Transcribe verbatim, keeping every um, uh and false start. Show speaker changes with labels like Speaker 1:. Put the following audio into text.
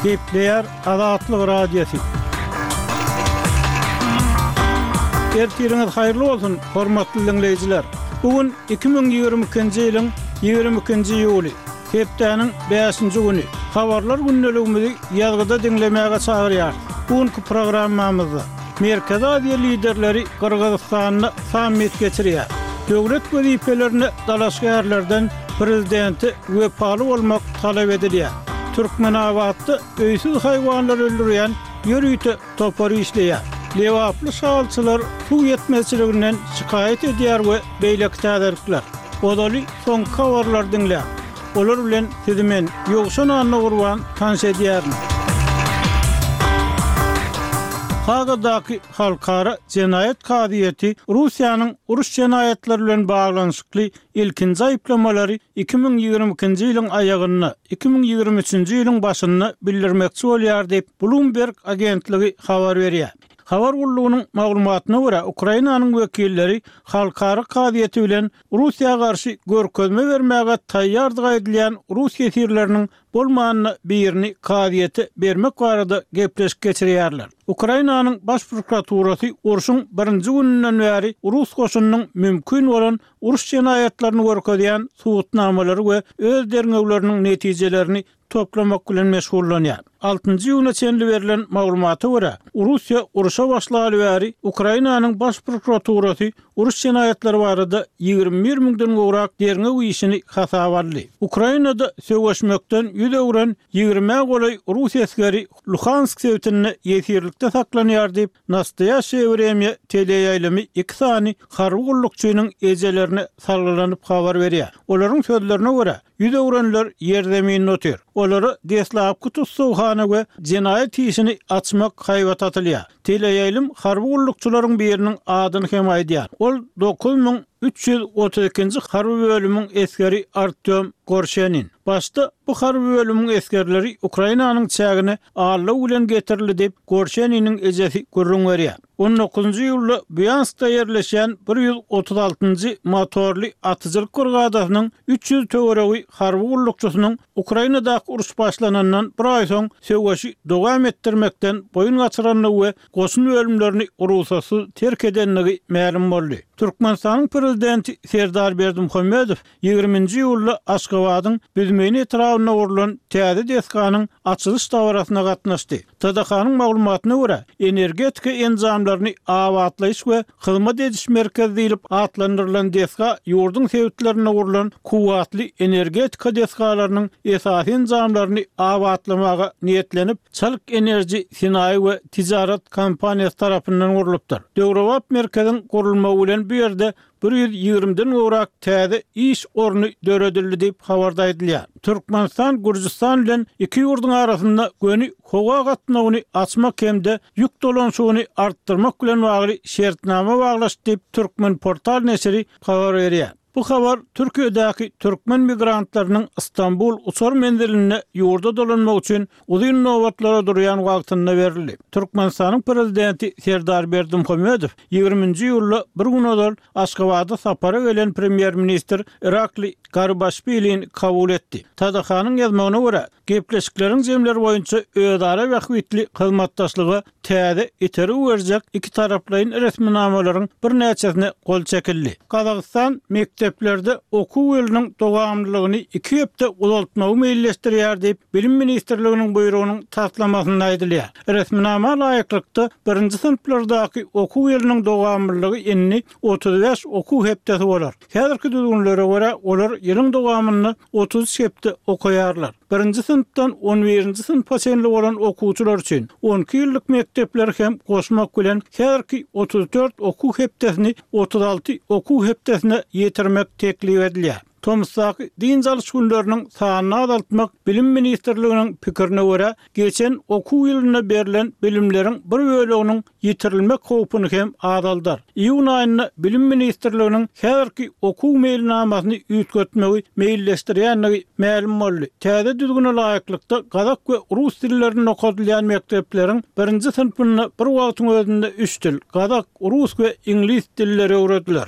Speaker 1: Gepleýär Azatlyk Radiosy. Ertiriňiz haýyrly bolsun, hormatly diňleýjiler! Bu gün iki müň ýigrimi ikinji ýylyň ýigrimi ikinji iýuly, hepdäniň bäşinji güni. Habarlar gündeligimizi ýazgyda diňlemäge çagyrýarys. Bu günki programmamyzda Merkezi Aziýa liderleri Gyrgyzystanda sammit geçirýär. Döwlet wezipelerine dalaşgärlerden prezidente wepaly bolmak talap edilýär. Türkmenabatda öýsüz haýwanlary öldürýän ýörite topar işleýär. Lebaply şalçylar suw ýetmezçiliginden şikaýat edýär we beýleki täzelikler. Ozaly soňky habarlary diňläň. Olar bilen sizi men, Ýowşan Annagurban, tanyş edýärin. Hagadaky Halkara jenaýat kazyýeti Russiýanyň uruş jenaýatlary bilen baglanyşykly ilkinji aýyplamalary iki müň ýigrimi ikinji ýylyň aýagynda, iki müň ýigrimi üçünji ýylyň başynda bildirmekçi bolýar diýip, Bloomberg agentligi habar berýär. Habar gullugynyň maglumatyna görä, Ukrainanyň wekilleri Halkara kazyýeti bilen Russiýa garşy görkezme bermäge taýýardygy aýdylýan rus ýesirleriniň bolmanda birini kazyýete bermek barada gepleşik geçirýärler. Ukrainanyň Baş prokuraturasy urşuň birinji gününden bäri rus goşunynyň mümkin bolan uruş jenaýatlaryny görkezýän subutnamalary we öz derňewleriniň netijelerini toplamak bilen meşgullanýar. Altynjy iýuna çenli berlen maglumata görä, Russiýa urşa başlaly bäri Ukrainanyň Baş prokuraturasy uruş jenaýatlary barada ýigrimi bir müňden gowrak derňew işini hasaba aldy. Ukrainada söweşmekden ýüz öwren ýigrimä golaý rus esgeri Luhansk sebitinde ýesirlikde saklanýar diýip, Nastoýaşşeýe Wremýa teleýaýlymy iki sany harby gullukçynyň ejelerine salgylanyp habar berýär. Olaryň sözlerine görä, ýüz öwrenler ýerzeminde otyr. Olara deslapky tussaghana we jenaýat işini açmak haýbat atylýar. Teleýaýlym harby gullukçylaryň biriniň adyny hem aýdýar. Ol dokuz müň üç ýüz otuz ikinji harby bölümiň esgeri Artýom Gorşenin. Başda bu harby bölümiň esgerleri Ukrainanyň çägine aldaw bilen getirildi diýip, Gorşeniniň ejesi gürrüň berýär. On dokuzynjy iýulda Býanskda ýerleşýän bir ýüz otuz altynjy motorly atyjylyk brigadasynyň üç ýüz töweregi harby gullukçysynyň Ukrainadaky uruş başlanandan bir aý soň söweşi dowam etdirmekden boýun gaçyrandygy we goşun bölümlerini rugsatsyz terk edendigi mälim boldy. Türkmenistanyň Prezidenti Serdar Berdimuhamedow ýigriminji iýulda Aşgabadyň Büzmeýin etrabynda gurlan täze desganyň açylyş dabarasyna gatnaşdy. T D H-nyň maglumatyna görä, energetika enjamlaryny abatlaýyş we hyzmat ediş merkezi diýlip atlandyrylan desga ýurduň sebitlerinde gurlan kuwwatly energetika desgalarynyň esasy enjamlaryny abatlamaga niýetlenip, Çalyk Enerji senaýy we ticaret kompaniýasy tarapyndan gurlupdyr. Döwrebap merkeziň gurulmagy bilen bu ýerde bir ýüz ýigrimiden gowrak täze iş orny döredildi diýip habarda aýdylýar. Türkmenistan Gürjüstan bilen iki ýurduň arasynda göni howa gatnawyny açmak hem-de ýük dolanyşygyny artdyrmak bilen bagly şertnama baglaşdy diýip Türkmenportal neşiri habar berýär. Bu habar Türkiýedäki türkmen migrantlarynyň Istanbul uçar menzilinde ýurda dolanmak üçin uzyn nobatlara durýan wagtynda berildi. Türkmenistanyň Prezidenti Serdar Berdimuhamedow ýigriminji iýulda bir gün ozal Aşgabada sapara gelen premýer-ministr Irakli Garibaşwilini kabul etdi. T D H-nyň ýazmagyna görä, gepleşikleriň jemleri boýunça özara bähbitli hyzmatdaşlyga täze itergi berjek iki taraplaýyn resminamalaryň birnäçesine gol çekildi. Gazagystan mekdeplerde okuw ýylynyň dowamlylygyny iki hepde uzaltmagy meýilleşdirýär diýip, Bilim ministrliginiň buýrugynyň taslamasynda aýdylýar. Resminama laýyklykda, birinji synplardaky okuw ýylynyň dowamlylygy indi otuz bäş okuw hepdesi bolar. Häzirki düzgünlere görä, olar ýylyň dowamynda otuz üç hepde okaýarlar. Birinji synpdan on birinji synpa çenli bolan okuwçylar üçin on iki ýyllyk mekdepleri hem goşmak bilen häzirki otuz dört okuw hepdesini otuz alty okuw hepdesine ýetirmek teklip edilýär. Tomusdaky dynç alyş günleriniň sanyny azaltmak Bilim ministrliginiň pikirine görä, geçen okuw ýylynda berlen bilimleriň bir böleginiň ýitirilmek howpuny hem azaldar. Iýun aýynda Bilim ministrliginiň häzirki okuw meýilnamasyny üýtgetmegi meýilleşdirýändigi mälim boldy. Täze düzgüne laýyklykda gazak we rus dillerinde okadylýan mekdepleriň birinji synpynda bir wagtyň özünde üç dil, gazak, rus we iňlis dilleri öwrediler.